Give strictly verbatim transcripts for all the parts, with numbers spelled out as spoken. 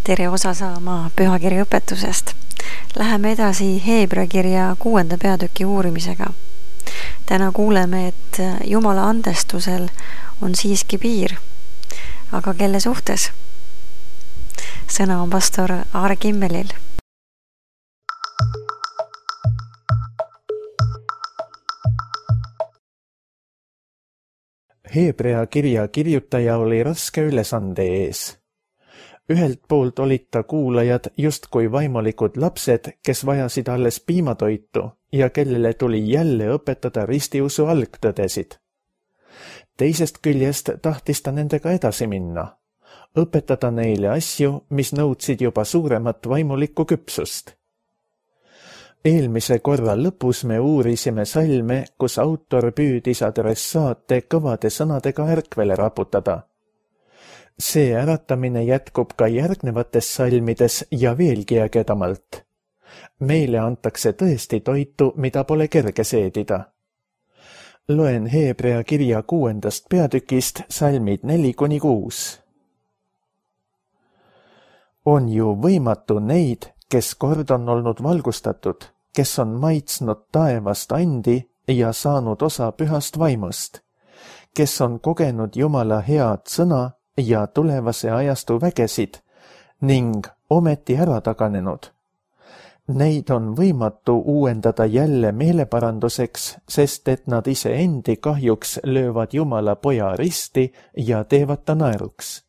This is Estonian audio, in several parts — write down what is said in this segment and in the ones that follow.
tere osa saama pühakirja õpetusest. Läheme edasi Heebrea kirja kuuenda peatüki uurimisega. Täna kuuleme, et Jumala andestusel on siiski piir. Aga kelle suhtes? Sõna on pastor Aare Kimmelil. Heebrea kirja kirjutaja oli raske ülesande ees. Ühelt poolt olid ta kuulajad justkui vaimulikud lapsed, kes vajasid alles piimatoitu ja kellele tuli jälle õpetada ristiusu algtõdesid. Teisest küljest tahtis ta nendega edasi minna, õpetada neile asju, mis nõudsid juba suuremat vaimulikku küpsust. Eelmise korra lõpus me uurisime salme, kus autor püüdis adressaate kõvade sõnadega ärkvele raputada. See äratamine jätkub ka järgnevates salmides ja veelgi ägedamalt. Meile antakse tõesti toitu, mida pole kerge seedida. Loen Heebrea kirja kuuendast peatükist salmid neli kuni kuus. On ju võimatu neid, kes kord on olnud valgustatud, kes on maitsnud taevast andi ja saanud osa pühast vaimust, kes on kogenud Jumala head sõna ja tulevase ajastu vägesid ning ometi ära taganenud. Neid on võimatu uuendada jälle meeleparanduseks, sest et nad ise endi kahjuks löövad Jumala poja risti ja teevad ta naeruks.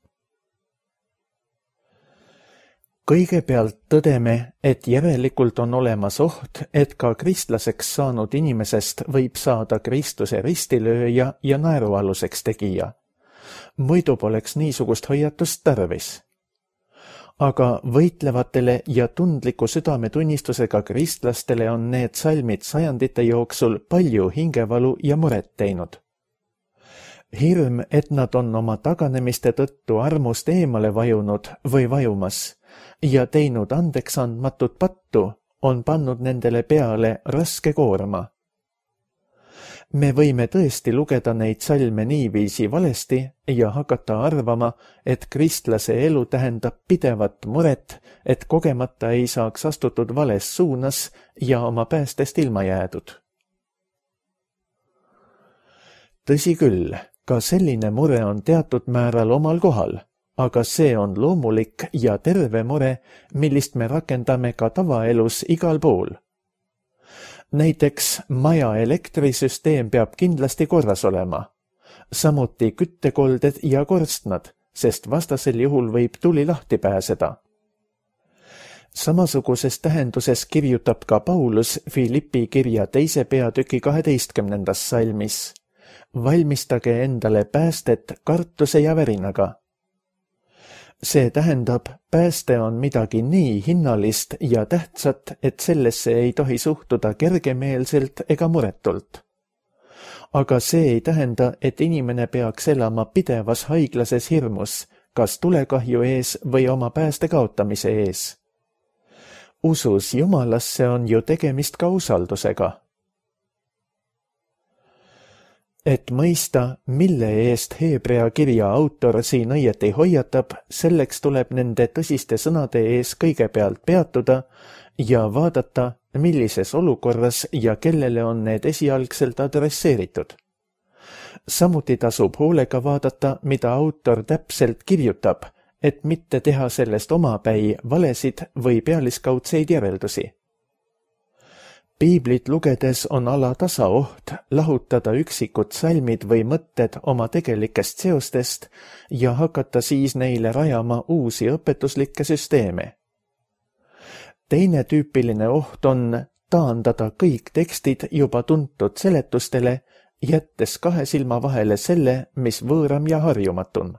Kõigepealt tõdeme, et järelikult on olemas oht, et ka kristlaseks saanud inimesest võib saada Kristuse ristilööja ja naerualuseks tegija. Muidu poleks niisugust hoiatust tarvis. Aga võitlevatele ja tundliku südametunnistusega kristlastele on need salmid sajandite jooksul palju hingevalu ja muret teinud. Hirm, et nad on oma taganemiste tõttu armust eemale vajunud või vajumas ja teinud andeks andmatut pattu, on pannud nendele peale raske koorma. Me võime tõesti lugeda neid salme niiviisi valesti ja hakata arvama, et kristlase elu tähendab pidevat muret, et kogemata ei saaks astutud vales suunas ja oma päästest ilma jäädud. Tõsi küll, ka selline mure on teatud määral omal kohal, aga see on loomulik ja terve mure, millist me rakendame ka tavaelus igal pool. Näiteks maja elektrisüsteem peab kindlasti korras olema, samuti küttekolded ja korstnad, sest vastasel juhul võib tuli lahti pääseda. Samasuguses tähenduses kirjutab ka Paulus Filippi kirja teise peatüki kaheteistkümnendas salmis. Valmistage endale päästet kartuse ja värinaga. See tähendab, pääste on midagi nii hinnalist ja tähtsat, et sellesse ei tohi suhtuda kergemeelselt ega muretult. Aga see ei tähenda, et inimene peaks elama pidevas haiglases hirmus, kas tulekahju ees või oma pääste kaotamise ees. Usus Jumalasse on ju tegemist ka usaldusega. Et mõista, mille eest Heebrea kirja autor siin õieti hoiatab, selleks tuleb nende tõsiste sõnade ees kõigepealt peatuda ja vaadata, millises olukorras ja kellele on need esialgselt adresseeritud. Samuti tasub hoolega vaadata, mida autor täpselt kirjutab, et mitte teha sellest omapäi valesid või pealiskaudseid järeldusi. Piiblit lugedes on alatasa oht lahutada üksikud salmid või mõtted oma tegelikest seostest ja hakata siis neile rajama uusi õpetuslikke süsteeme. Teine tüüpiline oht on taandada kõik tekstid juba tuntud seletustele, jättes kahe silma vahele selle, mis võõram ja harjumatun.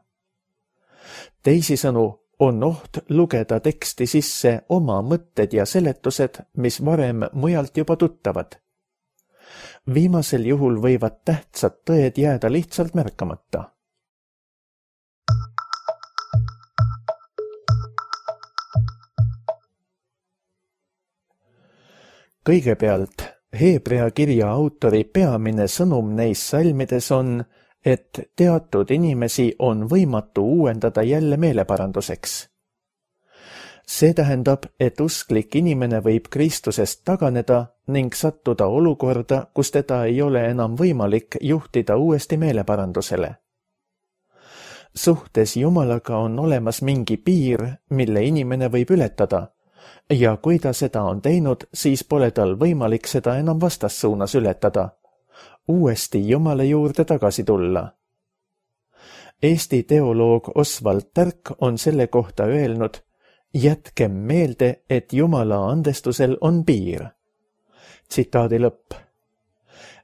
Teisisõnu, on oht lugeda teksti sisse oma mõtted ja seletused, mis varem mujalt juba tuttavad. Viimasel juhul võivad tähtsad tõed jääda lihtsalt märkamata. Kõigepealt, Heebrea kirja autori peamine sõnum neis salmides on, et teatud inimesi on võimatu uuendada jälle meeleparanduseks. See tähendab, et usklik inimene võib Kristusest taganeda ning sattuda olukorda, kus teda ei ole enam võimalik juhtida uuesti meeleparandusele. Suhtes Jumalaga on olemas mingi piir, mille inimene võib ületada, ja kui ta seda on teinud, siis pole tal võimalik seda enam vastassuunas ületada, uuesti Jumala juurde tagasi tulla. Eesti teoloog Oswald Tärk on selle kohta öelnud: jätkem meelde, et Jumala andestusel on piir. Tsitaadi lõpp.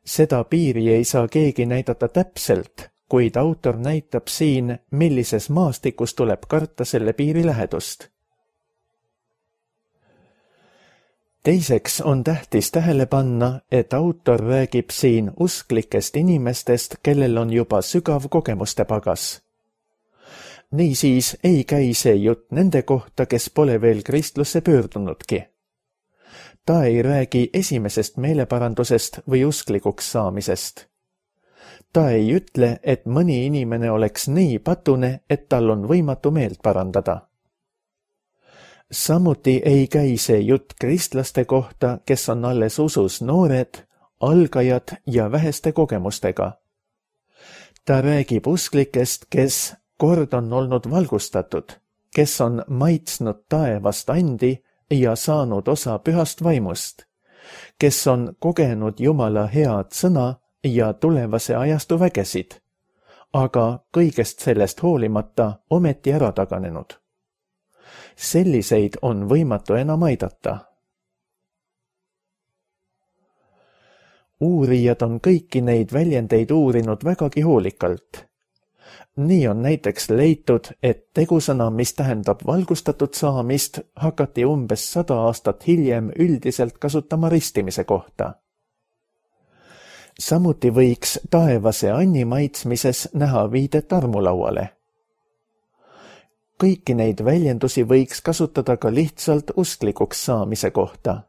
Seda piiri ei saa keegi näidata täpselt, kuid autor näitab siin, millises maastikus tuleb karta selle piiri lähedust. Teiseks on tähtis tähele panna, et autor räägib siin usklikest inimestest, kellel on juba sügav kogemuste pagas. Niisiis ei käi see jutt nende kohta, kes pole veel kristlusse pöördunudki. Ta ei räägi esimesest meeleparandusest või usklikuks saamisest. Ta ei ütle, et mõni inimene oleks nii patune, et tal on võimatu meelt parandada. Samuti ei käi see jutt kristlaste kohta, kes on alles usus noored, algajad ja väheste kogemustega. Ta räägib usklikest, kes kord on olnud valgustatud, kes on maitsnud taevast andi ja saanud osa pühast vaimust, kes on kogenud Jumala head sõna ja tulevase ajastu vägesid, aga kõigest sellest hoolimata ometi ära taganenud. Selliseid on võimatu enam aidata. Uurijad on kõiki neid väljendeid uurinud vägagi hoolikalt. Nii on näiteks leitud, et tegusõna, mis tähendab valgustatud saamist, hakati umbes sada aastat hiljem üldiselt kasutama ristimise kohta. Samuti võiks taevase anni maitsmises näha viidet armulauale. Kõiki neid väljendusi võiks kasutada ka lihtsalt usklikuks saamise kohta.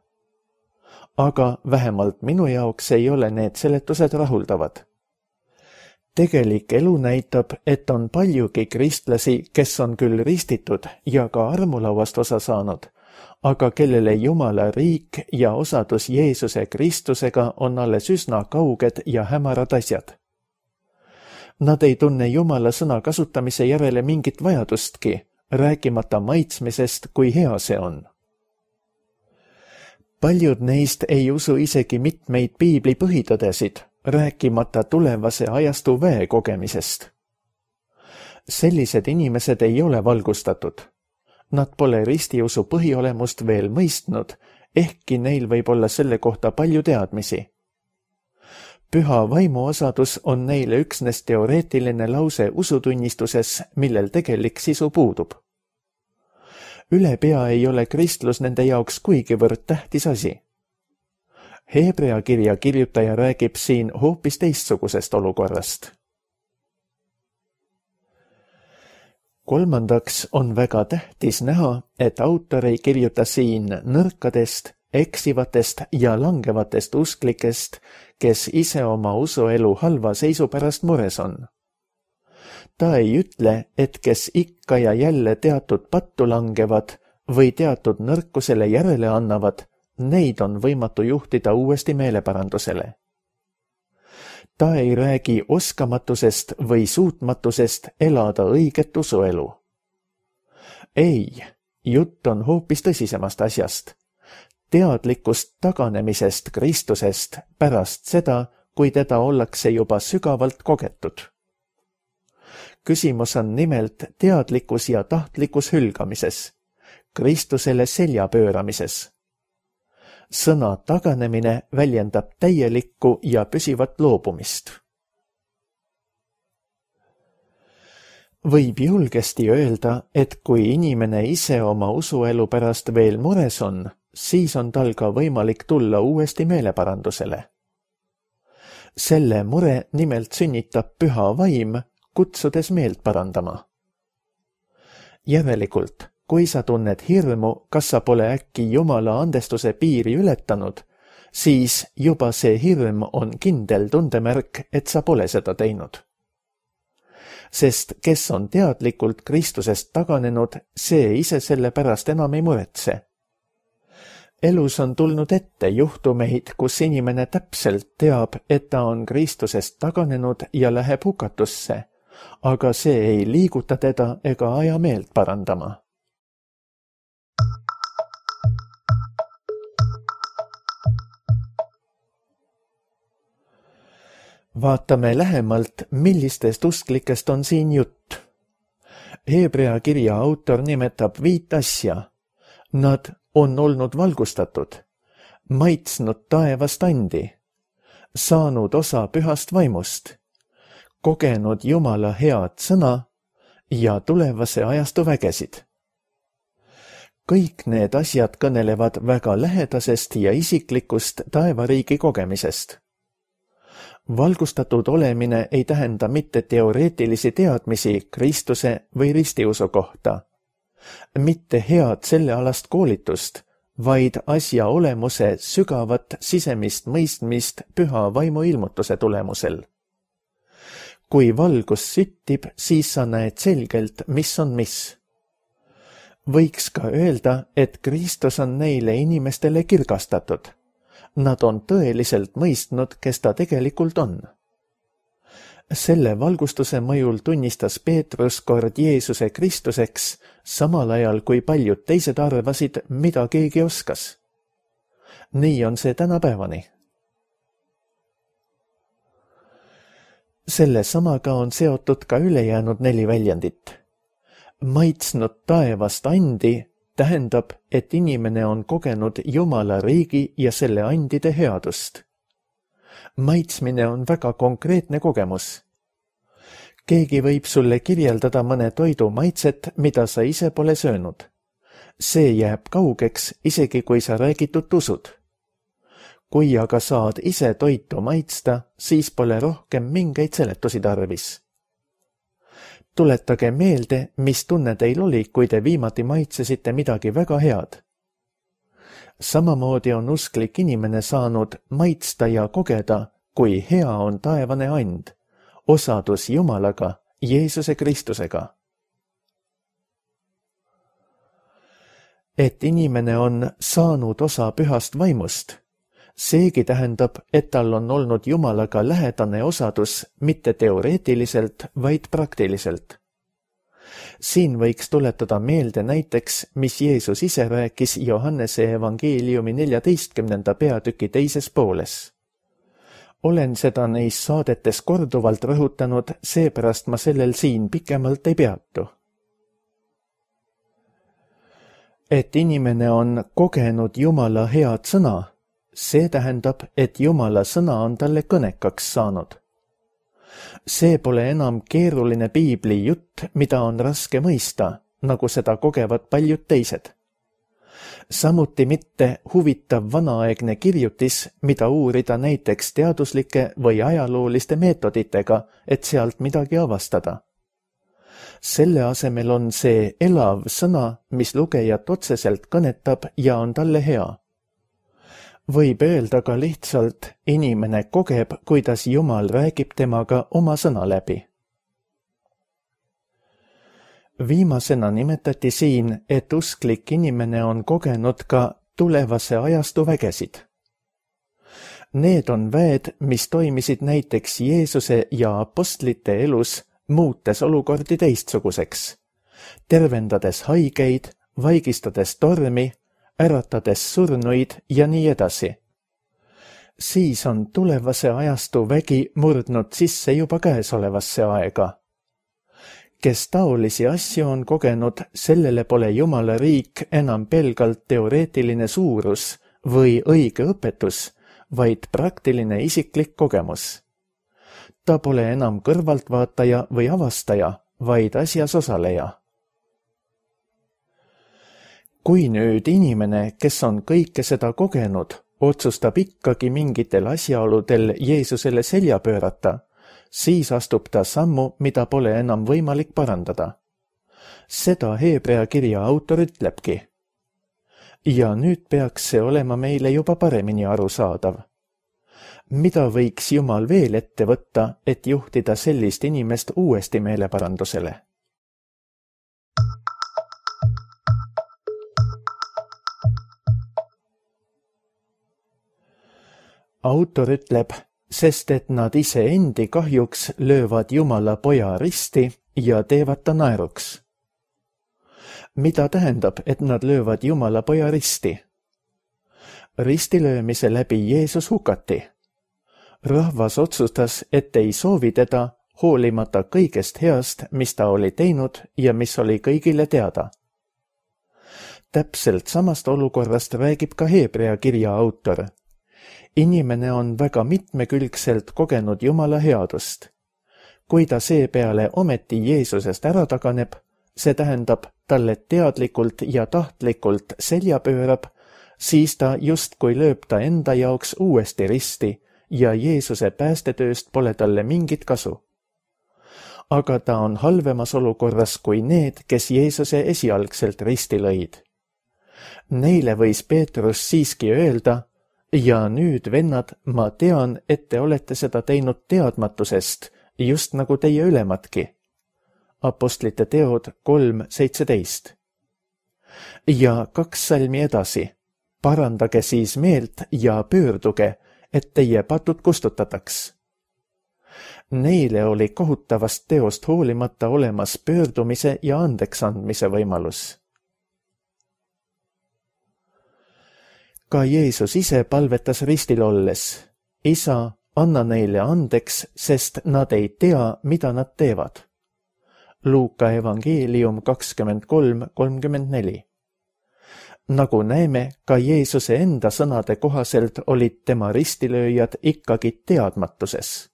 Aga vähemalt minu jaoks ei ole need seletused rahuldavad. Tegelik elu näitab, et on paljugi kristlasi, kes on küll ristitud ja ka armulauast osa saanud, aga kellele Jumala riik ja osadus Jeesuse Kristusega on alles üsna kauged ja hämarad asjad. Nad ei tunne Jumala sõna kasutamise järele mingit vajadustki, rääkimata maitsmisest, kui hea see on. Paljud neist ei usu isegi mitmeid piibli põhitõdesid, rääkimata tulevase ajastu väe kogemisest. Sellised inimesed ei ole valgustatud. Nad pole ristiusu põhiolemust veel mõistnud, ehkki neil võib olla selle kohta palju teadmisi. Püha vaimuosadus on neile üksnes teoreetiline lause usutunnistuses, millel tegelik sisu puudub. Ülepea ei ole kristlus nende jaoks kuigivõrd tähtis asi. Hebrea kirja kirjutaja räägib siin hoopis teistsugusest olukorrast. Kolmandaks on väga tähtis näha, et autor ei kirjuta siin nõrkadest, eksivatest ja langevatest usklikest, kes ise oma usuelu halva seisu pärast mures on. Ta ei ütle, et kes ikka ja jälle teatud pattu langevad või teatud nõrkusele järele annavad, neid on võimatu juhtida uuesti meeleparandusele. Ta ei räägi oskamatusest või suutmatusest elada õiget usuelu. Ei, jutt on hoopis tõsisemast asjast. Teadlikust taganemisest Kristusest pärast seda, kui teda ollakse juba sügavalt kogetud. Küsimus on nimelt teadlikkus ja tahtlikkus hülgamises, Kristusele selja pööramises. Sõna taganemine väljendab täielikku ja püsivat loobumist. Võib julgesti öelda, et kui inimene ise oma usuelu pärast veel mures on, siis on tal ka võimalik tulla uuesti meeleparandusele. Selle mure nimelt sünnitab püha vaim, kutsudes meelt parandama. Järelikult, kui sa tunned hirmu, kas sa pole äkki Jumala andestuse piiri ületanud, siis juba see hirm on kindel tundemärk, et sa pole seda teinud. sest kes on teadlikult Kristusest taganenud, see ise selle pärast enam ei muretse. Elus on tulnud ette juhtumeid, kus inimene täpselt teab, et ta on Kristusest taganenud ja läheb hukatusse, aga see ei liiguta teda ega aja meelt parandama. Vaatame lähemalt, millistest usklikest on siin jutt. Hebrea kirja autor nimetab viit asja. Nad on olnud valgustatud, maitsnud taevast andi, saanud osa pühast vaimust, kogenud Jumala head sõna ja tulevase ajastu vägesid. Kõik need asjad kõnelevad väga lähedasest ja isiklikust taevariigi kogemisest. Valgustatud olemine ei tähenda mitte teoreetilisi teadmisi Kristuse või ristiusu kohta, mitte head sellealast koolitust, vaid asja olemuse sügavat sisemist mõistmist püha vaimu ilmutuse tulemusel. Kui valgus süttib, siis sa näed selgelt, mis on mis. Võiks ka öelda, et Kristus on neile inimestele kirgastatud. Nad on tõeliselt mõistnud, kes ta tegelikult on. Selle valgustuse mõjul tunnistas Peetrus kord Jeesuse Kristuseks, samal ajal kui paljud teised arvasid, mida keegi oskas. Nii on see tänapäevani. Selle samaga on seotud ka ülejäänud neli väljendit. Maitsnud taevast andi tähendab, et inimene on kogenud Jumala riigi ja selle andide headust. Maitsmine on väga konkreetne kogemus. Keegi võib sulle kirjeldada mõne toidu maitset, mida sa ise pole söönud. See jääb kaugeks, isegi kui sa räägitut usud. Kui aga saad ise toitu maitsta, siis pole rohkem mingeid seletusi tarvis. Tuletage meelde, mis tunne teil oli, kui te viimati maitsesite midagi väga head. Samamoodi on usklik inimene saanud maitsta ja kogeda, kui hea on taevane and, osadus Jumalaga, Jeesuse Kristusega. Et inimene on saanud osa pühast vaimust, seegi tähendab, et tal on olnud Jumalaga lähedane osadus mitte teoreetiliselt, vaid praktiliselt. Siin võiks tuletada meelde näiteks, mis Jeesus ise rääkis Johannese evangeeliumi neljateistkümnenda peatüki teises pooles. Olen seda neis saadetes korduvalt rõhutanud, seepärast ma sellel siin pikemalt ei peatu. Et inimene on kogenud Jumala head sõna, see tähendab, et Jumala sõna on talle kõnekaks saanud. See pole enam keeruline piibli jutt, mida on raske mõista, nagu seda kogevad paljud teised. Samuti mitte huvitav vanaaegne kirjutis, mida uurida näiteks teaduslike või ajalooliste meetoditega, et sealt midagi avastada. Selle asemel on see elav sõna, mis lugejat otseselt kõnetab ja on talle hea. Võib öelda ka lihtsalt, inimene kogeb, kuidas Jumal räägib temaga oma sõna läbi. Viimasena nimetati siin, et usklik inimene on kogenud ka tulevase ajastu vägesid. Need on väed, mis toimisid näiteks Jeesuse ja apostlite elus, muutes olukordi teistsuguseks, tervendades haigeid, vaigistades tormi, äratades surnuid ja nii edasi. Siis on tulevase ajastu vägi murdnud sisse juba käesolevasse aega. Kes taolisi asju on kogenud, sellele pole Jumala riik enam pelgalt teoreetiline suurus või õige õpetus, vaid praktiline isiklik kogemus. Ta pole enam kõrvaltvaataja või avastaja, vaid asjas osaleja. Kui nüüd inimene, kes on kõike seda kogenud, otsustab ikkagi mingitel asjaoludel Jeesusele selja pöörata, siis astub ta sammu, mida pole enam võimalik parandada. Seda Hebrea kirja autor ütlebki. Ja nüüd peaks see olema meile juba paremini arusaadav. mida võiks Jumal veel ette võtta, et juhtida sellist inimest uuesti meeleparandusele? Autor ütleb, sest et nad ise endi kahjuks löövad Jumala poja risti ja teevad ta naeruks. Mida tähendab, et nad löövad Jumala poja risti? Ristilöömise läbi Jeesus hukati. Rahvas otsustas, et ei soovi teda, hoolimata kõigest heast, mis ta oli teinud ja mis oli kõigile teada. Täpselt samast olukorrast räägib ka Hebrea kirja autor. Inimene on väga mitmekülgselt kogenud Jumala headust. Kui ta seepeale ometi Jeesusest ära taganeb, see tähendab, talle teadlikult ja tahtlikult selja pöörab, siis ta justkui lööb ta enda jaoks uuesti risti ja Jeesuse päästetööst pole talle mingit kasu. Aga ta on halvemas olukorras kui need, kes Jeesuse esialgselt risti lõid. Neile võis Peetrus siiski öelda, ja nüüd, vennad, ma tean, et te olete seda teinud teadmatusest, just nagu teie ülematki. Apostlite teod kolm seitseteist. Ja kaks salmi edasi. Parandage siis meelt ja pöörduge, et teie patud kustutataks. Neile oli kohutavast teost hoolimata olemas pöördumise ja andeksandmise võimalus. Ka Jeesus ise palvetas ristil olles. Isa, anna neile andeks, sest nad ei tea, mida nad teevad. Luuka evangeelium kakskümmend kolm kolmkümmend neli. Nagu näeme, ka Jeesuse enda sõnade kohaselt olid tema ristilööjad ikkagi teadmatuses.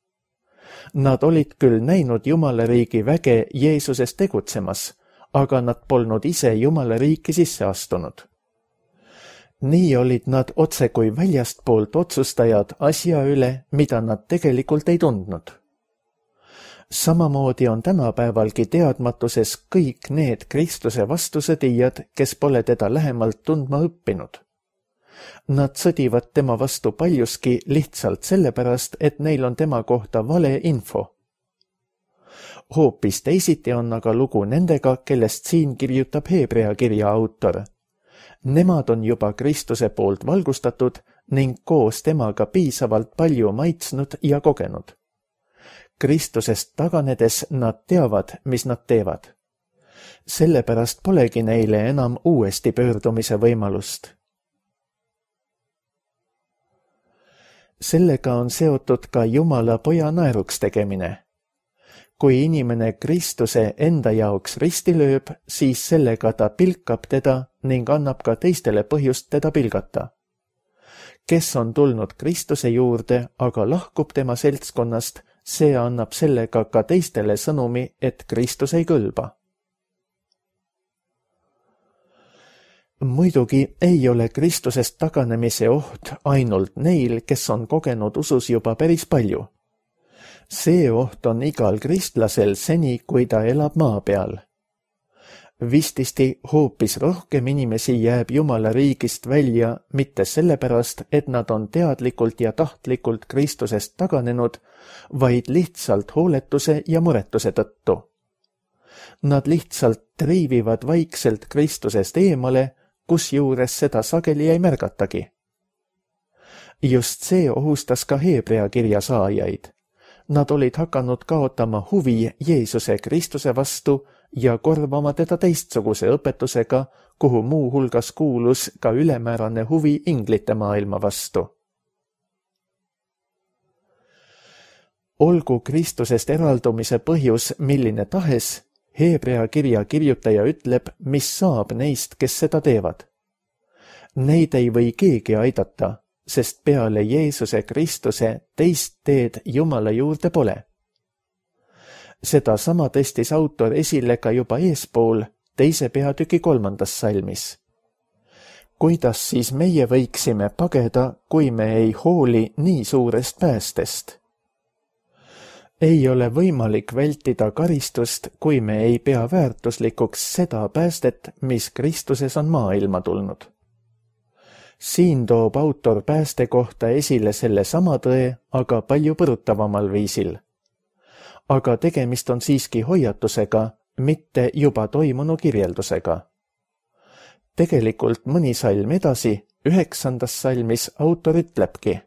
Nad olid küll näinud Jumala riigi väge Jeesuses tegutsemas, aga nad polnud ise Jumala riiki sisse astunud. Nii olid nad otse kui väljastpoolt otsustajad asja üle, mida nad tegelikult ei tundnud. Samamoodi on tänapäevalgi teadmatuses kõik need Kristuse vastusõdijad, kes pole teda lähemalt tundma õppinud. Nad sõdivad tema vastu paljuski lihtsalt sellepärast, et neil on tema kohta vale info. Hoopis teisiti on aga lugu nendega, kellest siin kirjutab Hebrea kirja autor. Nemad on juba Kristuse poolt valgustatud ning koos temaga piisavalt palju maitsnud ja kogenud. Kristusest taganedes nad teavad, mis nad teevad. Sellepärast polegi neile enam uuesti pöördumise võimalust. Sellega on seotud ka Jumala poja naeruks tegemine. Kui inimene Kristuse enda jaoks risti lööb, siis sellega ta pilkab teda ning annab ka teistele põhjust teda pilgata. Kes on tulnud Kristuse juurde, aga lahkub tema seltskonnast, see annab sellega ka teistele sõnumi, et Kristus ei kõlba. Muidugi ei ole Kristusest taganemise oht ainult neil, kes on kogenud usus juba päris palju. See oht on igal kristlasel seni, kui ta elab maa peal. Vististi hoopis rohkem inimesi jääb Jumala riigist välja mitte sellepärast, et nad on teadlikult ja tahtlikult Kristusest taganenud, vaid lihtsalt hooletuse ja muretuse tõttu. Nad lihtsalt triivivad vaikselt Kristusest eemale, kusjuures seda sageli ei märgatagi. Just see ohustas ka Hebrea kirja saajaid. Nad olid hakanud kaotama huvi Jeesuse Kristuse vastu ja korvama teda teistsuguse õpetusega, kuhu muu hulgas kuulus ka ülemäärane huvi inglite maailma vastu. Olgu Kristusest eraldumise põhjus milline tahes, Hebrea kirja kirjutaja ütleb, mis saab neist, kes seda teevad. Neid ei või keegi aidata, sest peale Jeesuse Kristuse teist teed Jumala juurde pole. Seda sama tõstis autor esile ka juba eespool teise peatüki kolmandas salmis. Kuidas siis meie võiksime pageda, kui me ei hooli nii suurest päästest? Ei ole võimalik vältida karistust, kui me ei pea väärtuslikuks seda päästet, mis Kristuses on maailma tulnud. siin toob autor pääste kohta esile selle sama tõe, aga palju põrutavamal viisil. Aga tegemist on siiski hoiatusega, mitte juba toimunu kirjeldusega. Tegelikult mõni salm edasi, üheksandas salmis autor ütlebki: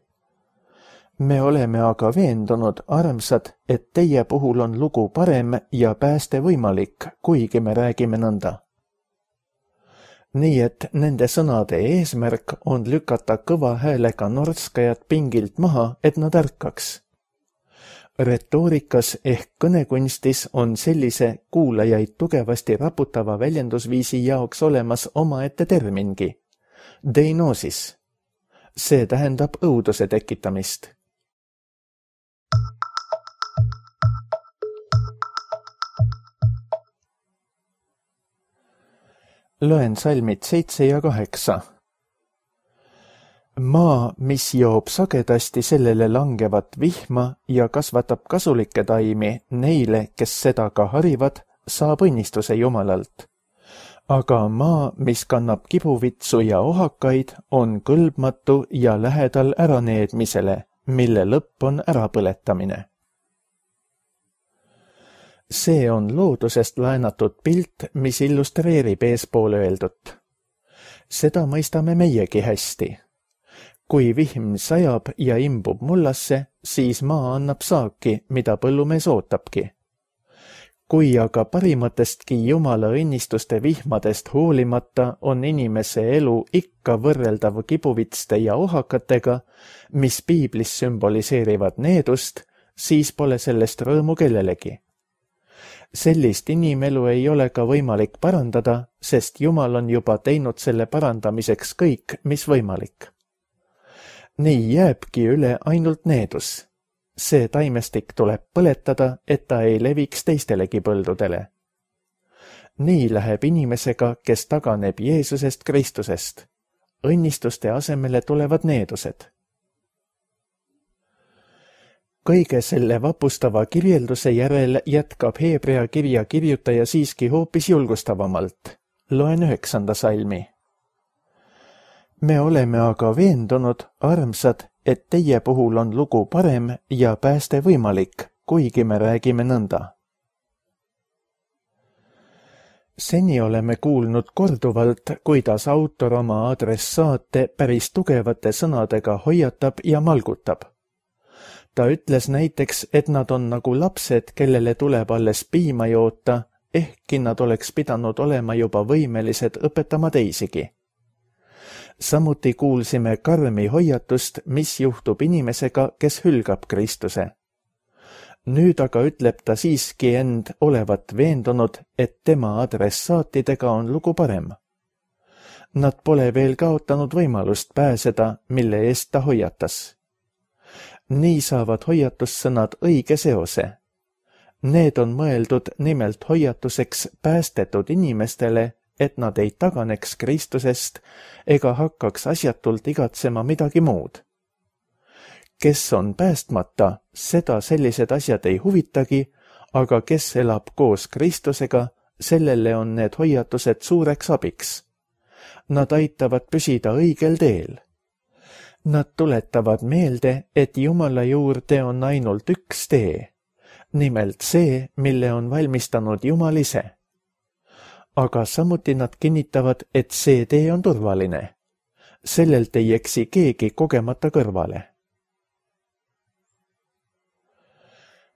me oleme aga veendunud, armsad, et teie puhul on lugu parem ja pääste võimalik, kuigi me räägime nõnda. Nii et nende sõnade eesmärk on lükata kõva häälega norskajad pingilt maha, et nad ärkaks. Retoorikas ehk kõnekunstis on sellise kuulajaid tugevasti raputava väljendusviisi jaoks olemas omaette termingi, deinosis. See tähendab õuduse tekitamist. Loen salmid seitse ja kaheksa. Maa, mis joob sagedasti sellele langevat vihma ja kasvatab kasulikke taimi neile, kes seda ka harivad, saab õnnistuse Jumalalt. Aga maa, mis kannab kibuvitsu ja ohakaid, on kõlbmatu ja lähedal äraneedmisele, mille lõpp on ärapõletamine. See on loodusest laenatud pilt, mis illustreerib eespool öeldut. Seda mõistame meiegi hästi. Kui vihm sajab ja imbub mullasse, siis maa annab saaki, mida põllumees ootabki. Kui aga parimatestki Jumala õnnistuste vihmadest hoolimata on inimese elu ikka võrreldav kibuvitste ja ohakatega, mis piiblis sümboliseerivad needust, siis pole sellest rõõmu kellelegi. Sellist inimelu ei ole ka võimalik parandada, sest Jumal on juba teinud selle parandamiseks kõik, mis võimalik. Nii jääbki üle ainult needus. See taimestik tuleb põletada, et ta ei leviks teistelegi põldudele. Nii läheb inimesega, kes taganeb Jeesusest Kristusest. Õnnistuste asemele tulevad needused. Kõige selle vapustava kirjelduse järel jätkab Heebrea kirja kirjutaja siiski hoopis julgustavamalt. Loen üheksanda salmi. Me oleme aga veendunud, armsad, et teie puhul on lugu parem ja pääste võimalik, kuigi me räägime nõnda. Seni oleme kuulnud korduvalt, kuidas autor oma adressaate päris tugevate sõnadega hoiatab ja malgutab. Ta ütles näiteks, et nad on nagu lapsed, kellele tuleb alles piima joota, ehkki nad oleks pidanud olema juba võimelised õpetama teisigi. Samuti kuulsime karmi hoiatust, mis juhtub inimesega, kes hülgab Kristuse. Nüüd aga ütleb ta siiski end olevat veendunud, et tema adressaatidega on lugu parem. Nad pole veel kaotanud võimalust pääseda, mille eest ta hoiatas. Nii saavad hoiatussõnad õige seose. Need on mõeldud nimelt hoiatuseks päästetud inimestele, et nad ei taganeks Kristusest ega hakkaks asjatult igatsema midagi muud. Kes on päästmata, seda sellised asjad ei huvitagi, aga kes elab koos Kristusega, sellele on need hoiatused suureks abiks. Nad aitavad püsida õigel teel. Nad tuletavad meelde, et Jumala juurde on ainult üks tee, nimelt see, mille on valmistanud Jumal ise. Aga samuti nad kinnitavad, et see tee on turvaline. Sellelt ei eksi keegi kogemata kõrvale.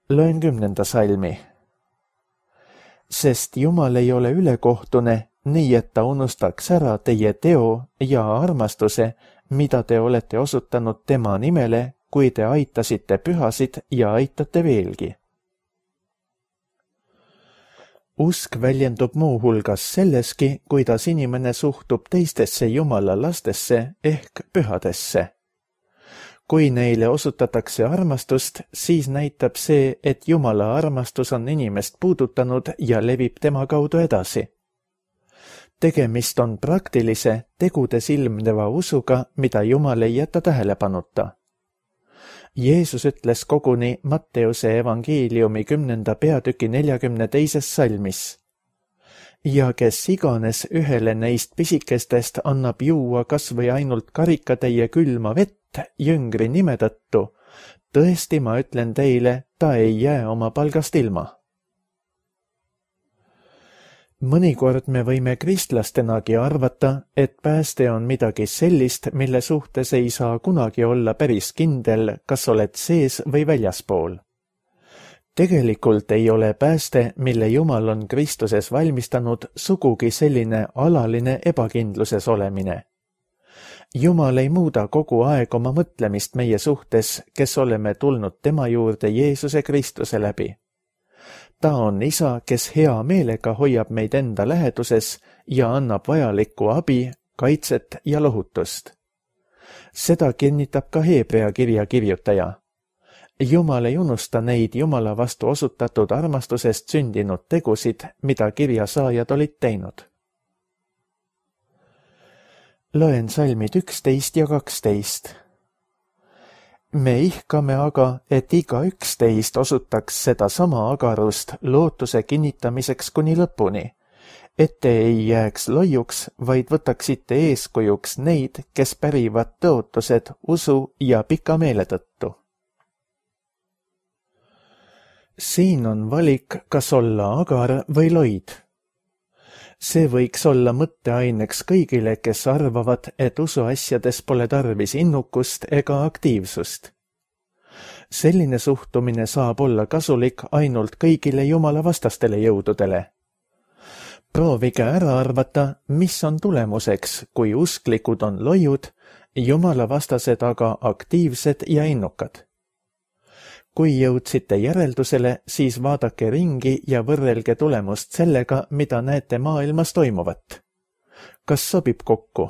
Loen kümnenda salmi. Sest Jumal ei ole ülekohtune, nii et ta unustaks ära teie teo ja armastuse, mida te olete osutanud tema nimele, kui te aitasite pühasid ja aitate veelgi. Usk väljendub muu hulgas selleski, kuidas inimene suhtub teistesse Jumala lastesse ehk pühadesse. Kui neile osutatakse armastust, siis näitab see, et Jumala armastus on inimest puudutanud ja levib tema kaudu edasi. Tegemist on praktilise, tegudes ilmneva usuga, mida Jumal ei jäta tähelepanuta. Jeesus ütles koguni Matteuse evangeeliumi kümnenda peatüki neljakümne teises salmis. ja kes iganes ühele neist pisikestest annab juua kas või ainult karikatäie külma vett jüngri nime tõttu, tõesti ma ütlen teile, ta ei jää oma palgast ilma. Mõnikord me võime kristlastenagi arvata, et pääste on midagi sellist, mille suhtes ei saa kunagi olla päris kindel, kas oled sees või väljaspool. Tegelikult ei ole pääste, mille Jumal on Kristuses valmistanud, sugugi selline alaline ebakindluses olemine. Jumal ei muuda kogu aeg oma mõtlemist meie suhtes, kes oleme tulnud tema juurde Jeesuse Kristuse läbi. Ta on isa, kes hea meelega hoiab meid enda läheduses ja annab vajalikku abi, kaitset ja lohutust. Seda kinnitab ka Hebrea kirja kirjutaja. Jumal ei unusta neid Jumala vastu osutatud armastusest sündinud tegusid, mida kirja saajad olid teinud. Loen salmid üksteist ja kaksteist. Me ihkame aga, et iga üksteist osutaks seda sama agarust lootuse kinnitamiseks kuni lõpuni, et te ei jääks loiuks, vaid võtaksite eeskujuks neid, kes pärivad tõotused usu ja pika meele tõttu. Siin on valik, kas olla agar või loid. See võiks olla mõtteaineks kõigile, kes arvavad, et usuasjades pole tarvis innukust ega aktiivsust. Selline suhtumine saab olla kasulik ainult kõigile Jumala vastastele jõududele. Proovige ära arvata, mis on tulemuseks, kui usklikud on loiud, Jumala vastased aga aktiivsed ja innukad. Kui jõudsite järeldusele, siis vaadake ringi ja võrrelge tulemust sellega, mida näete maailmas toimuvat. Kas sobib kokku?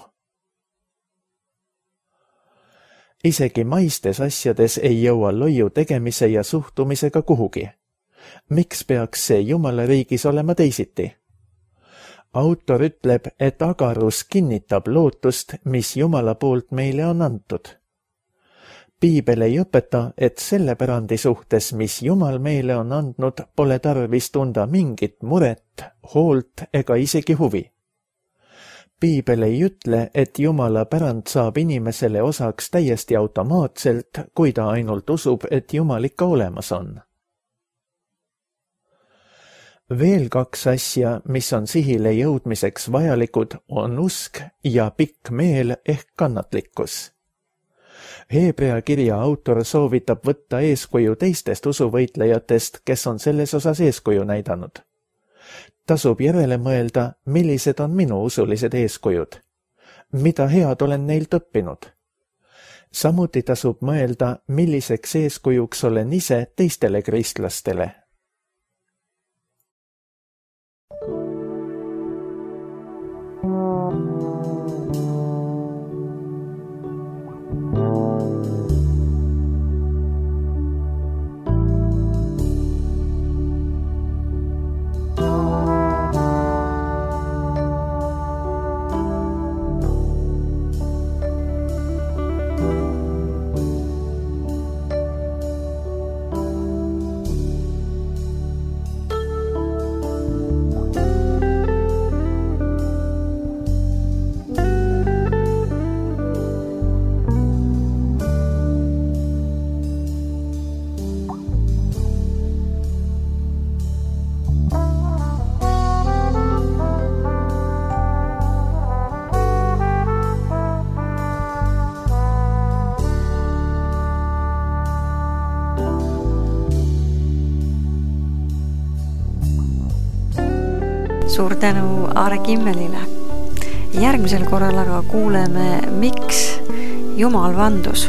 Isegi maistes asjades ei jõua loiu tegemise ja suhtumisega kuhugi. Miks peaks see Jumala riigis olema teisiti? Autor ütleb, et agarus kinnitab lootust, mis Jumala poolt meile on antud. Piibel ei õpeta, et selle pärandi suhtes, mis Jumal meile on andnud, pole tarvis tunda mingit muret, hoolt ega isegi huvi. Piibel ei ütle, et Jumala pärand saab inimesele osaks täiesti automaatselt, kui ta ainult usub, et Jumal ikka olemas on. Veel kaks asja, mis on sihile jõudmiseks vajalikud, on usk ja pikk meel ehk kannatlikkus. Hebrea kirja autor soovitab võtta eeskuju teistest usuvõitlejatest, kes on selles osas eeskuju näidanud. Tasub järele mõelda, millised on minu usulised eeskujud. Mida head olen neilt õppinud? Samuti tasub mõelda, milliseks eeskujuks olen ise teistele kristlastele. Suur tänu Aare Kimmelile. Järgmisel korral aga kuuleme, miks Jumal vandus.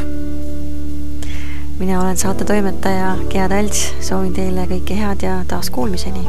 Mina olen saate toimetaja Gea Talts, soovin teile kõike head ja taas kuulmiseni.